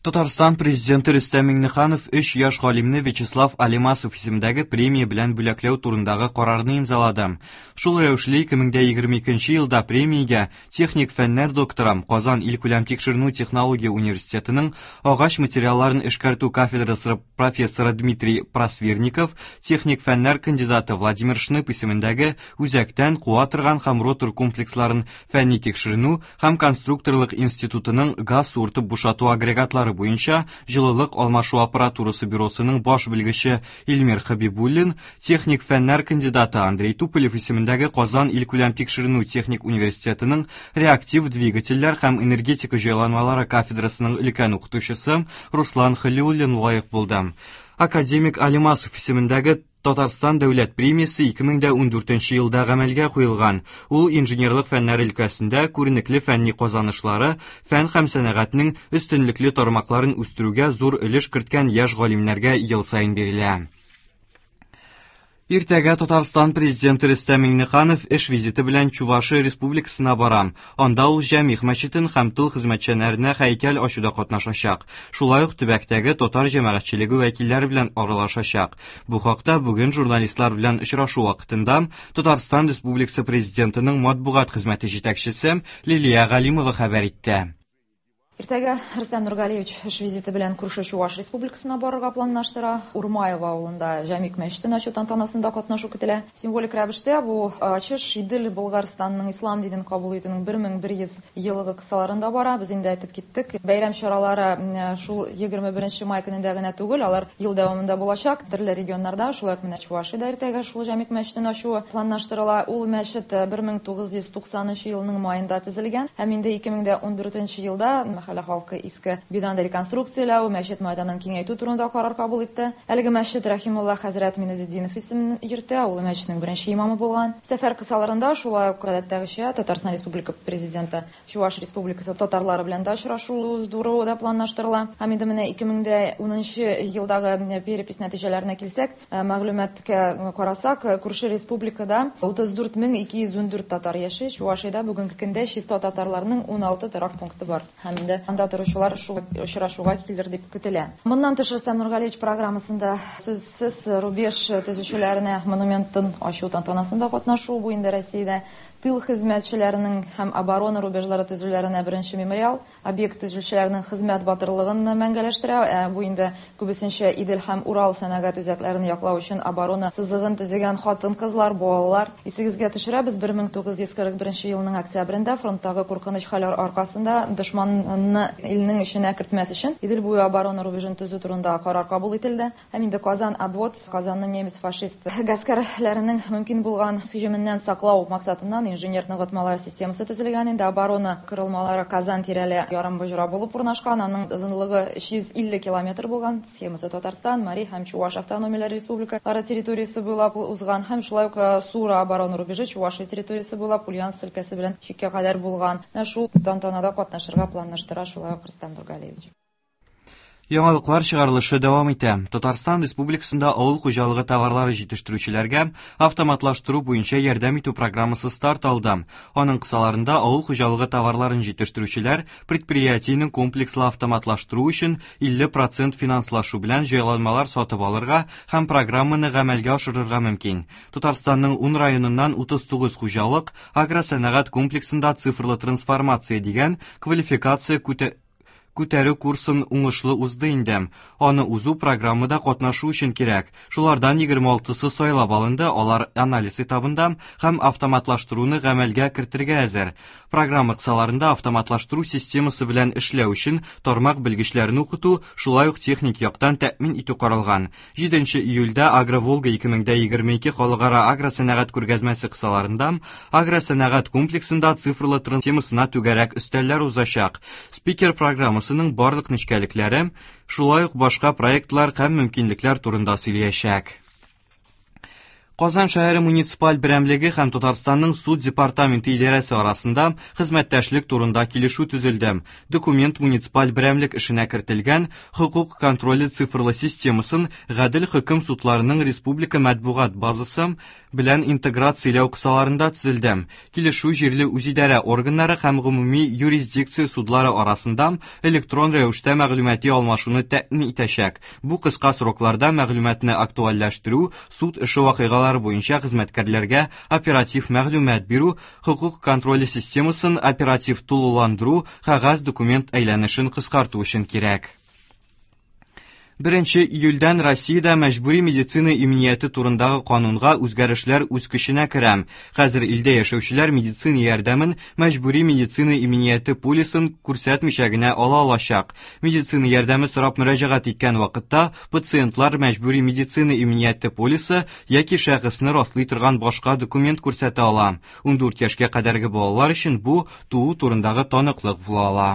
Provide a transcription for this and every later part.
Татарстан Президенты Рөстәм Миңнеханов өч яшь галимне Вячеслав Алимасов исемендәге премия белән бүләкләү турындагы карарны имзалады. Шул рәвешле 2022 елда премиягә техник фәннәр докторы, Казан илкүләм тикшеренү технология университетының агач материалларын эшкәртү кафедрасы профессоры Дмитрий Просвирников, техник фәннәр кандидаты Владимир Шнып исемендәге үзәктән куа торган һәм ротор комплексларын фәнни тикшеренү һәм конструкторлык институтының газ суыртып бушату агрегатлары буенча җылылык алмашу аппаратурасы бюросының баш белгече Илмир Хабибуллин, техник фәннәр кандидаты Андрей Туполев исемендәге Казан илкүләм тикшеренү техник университетының реактив двигательләр һәм энергетика җайланмалары кафедрасының өлкән укытучысы Руслан Халиуллин лаек булды. Академик Алимасов исемендәге Татарстан дәүләт премиясе 2014 елда гамәлгә куелган. Ул инженерлык фәннәре өлкәсендә күренекле фәнни казанышлары, фән һәм сәнәгатьнең өстенлекле тармакларын үстерүгә зур өлеш керткән яшь галимнәргә ел саен бирелә. Иртәгә Татарстан Президенты Рөстәм Миңнеханов эш визиты белән Чувашия Республикасына бара. Анда ул Җәмигъ мәчетен һәм тыл хезмәтчәннәренә һәйкәл ачуда катнашачак. Шулай ук төбәктәге татар җәмәгатьчелеге вәкилләре белән аралашачак. Бу хакта бүген журналистлар белән очрашу вакытында Татарстан Республикасы Президентының матбугат хезмәте җитәкчесе Лилия Галимова хәбәр итте. Иртәгә Рөстәм Нургалиевич эш визиты белән күрше Чуваш Республикасына барырга планлаштыра. Урмаево авылында Җәмигъ мәчетен ачу тантанасында катнашу көтелә. Символик рәвештә бу ачыш Идел Болгарстанның ислам динен кабул итүнең 1100 еллыгы кысаларында бара. Без инде әйтеп киттек, бәйрәм чаралары шул 21 май көнендә генә түгел, алар ел дәвамында булачак. Төрле регионнарда, шулай ук менә Чувашиядә иртәгә шул Җәмигъ мәчетен ачуы планлаштырыла. Ул мәчет 1990 елның маенда төзелгән һәм инде 2014 елда мәхәллә халкы иске бинаны реконструкцияләү, мәчет мәйданын киңәйтү турында карар кабул итте. Әлеге мәчет Рәхимулла хәзрәт Миназетдинов исемен йөртә, ул мәчетнең беренче имамы булган. Сәфәр кысаларында шулай ук гадәттәгечә Татарстан Республика Президенты Чуваш Республикасы татарлары белән дә очрашу уздыру да планлаштырыла. Һәм инде менә 2010 елдагы перепись нәтиҗәләренә килсәк, мәгълүматка карасак, күрше республикада 34214 татар яши. Чувашиядә бүгенге көндә чиста татарларның 16 торак пункты бар. Һәм инде анда торучылар шул очрашуга килер дип көтелә. Моннан тыш Рөстәм Нургалиевич программасында сүзсез рубеж төзүчеләренә монументын ачу тантанасында катнашу, бу инде Россиядә тыл хезмәтчеләренең һәм оборона рубежлары төзүләренә беренче мемориал. Объект төзүчеләрнең хезмәт батырлыгын мәңгеләштерә. Бу инде күбесенчә Идел һәм Урал сәнәгать үзәкләрен яклау өчен оборона сызыгын төзегән хатын-кызлар, балалар. Исегезгә төшерәбез, 1941 елның октябрендә фронттагы куркыныч хәлләр аркасында дошманны илнең эченә кертмәс өчен Идел буе оборона рубежын төзү турында карар кабул ителде. Һәм инде Казан обвод, Казанны немец-фашист гаскәрләренең мөмкин булган һөҗүменнән саклау максатыннан инженер ныгытмалар системасы төзелгән. Инде оборона корылмалары Казан тирәле ярымбоҗра булып урнашкан. Аның озынлыгы 350 километр булган. Схемасы Татарстан, Мари һәм Чуваш автономияләре республикалары территориясе буйлап узган һәм шулай ук Сура оборона рубежы Чувашия территориясе буйлап Ульяновск өлкәсе белән чиккә кадәр булган. Менә шул тантанада катнашырга планлаштыра шулай ук Рөстәм Нургалиевич. Яңалыклар чыгарылышы дәвам итә. Татарстан Республикасында авыл хуҗалыгы товарлары җитештерүчеләргә автоматлаштыру буенча ярдәм итү программасы старт алды. Аның кысаларында авыл хуҗалыгы товарларын җитештерүчеләр предприятиенең комплекслы автоматлаштыру өчен 50% финанслашу белән җайланмалар сатып алырга һәм программаны гамәлгә ашырырга мөмкин. Татарстанның 10 районыннан 39 хуҗалык агросәнәгать комплексында цифрлы трансформация дигән квалификация күтәрү курсын уңышлы узды инде. Аны узу программада катнашу өчен кирәк. Шулардан 26-сы сайлап алынды, алар анализ этабында һәм автоматлаштыруны гамәлгә кертергә әзер. Программа кысаларында автоматлаштыру системасы белән эшләү өчен тармак белгечләрен укыту, шулай ук техник яктан тәэмин итү каралган. 7 июльдә Агроволга 2022 халыкара агросәнәгать күргәзмәсе кысаларында агросәнәгать комплексында цифрлы темасына түгәрәк өстәлләр узачак. Спикер программасының барлык нечкәлекләре, шулай ук башка проектлар һәм мөмкинлекләр турында сөйләячәк. Казан шәһәре муниципаль берәмлеге һәм Татарстанның суд департаменты идарәсе арасында хезмәттәшлек турында килешү төзелде. Документ муниципаль берәмлек эшенә кертелгән хокук контроле цифрлы системасын гадел хөкем судларының республика матбугат базасы белән интеграцияләү кысаларында төзелде. Килешү җирле үзидарә органнары һәм гомуми юрисдикция судлары арасында электрон рәвештә мәгълүмати алмашуны тәэмин итәчәк. Бу кыска срокларда мәгълүматны актуальләштерү, суд эше вакыйгалары буенча хезмәткәрләргә оператив мәгълүмат бирү, хокук контроле системасын оператив тулыландыру, кәгазь документ әйләнешен кыскарту өчен кирәк. 1 июльдән Россиядә мәҗбүри медицина иминияте турындагы канунга үзгәрешләр үз көченә керә. Хәзер илдә яшәүчеләр медицина ярдәмен мәҗбүри медицина иминияте полисын күрсәтмичә генә ала алачак. Медицина ярдәме сорап мөрәҗәгать иткән вакытта пациентлар мәҗбүри медицина иминияте полисы яки шәхесне раслый торган башка документ күрсәтә ала. 14 яшькә кадәрге балалар өчен бу туу турындагы таныклык була ала.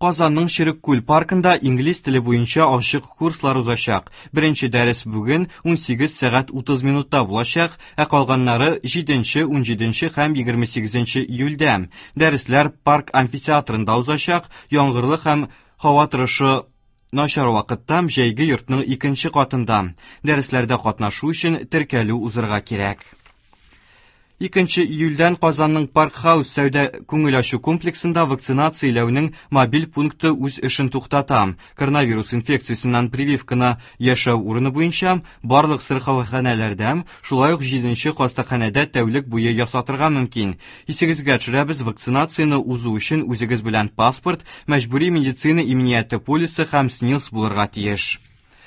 Казанның Черек-Күл паркында инглиз теле буенча ачык курслар узачак. Беренче дәрес бүген 18 сәгать 30 минутта булачак, ә калганнары 7, 17 һәм 28 июльдә. Дәресләр парк амфитеатрында узачак, яңгырлы һәм һава торышы начар вакытта җәйге йортның икенче катында. Дәресләрдә катнашу өчен теркәлү узырга кирәк. 2 июльдән Казанның Парк Хаус сәүдә күңел ачу комплексында вакцинацияләүнең мобиль пункты үз эшен туктата. Коронавирус инфекциясеннән прививканы яшәү урыны буенча барлык сырхауханәләрдә, шулай ук 7 хастаханәдә тәүлек буе ясатырга мөмкин. Исегезгә төшерәбез, вакцинацияне узу өчен үзегез белән паспорт, мәҗбүри медицина иминияте полисы һәм СНИЛС булырга тиеш.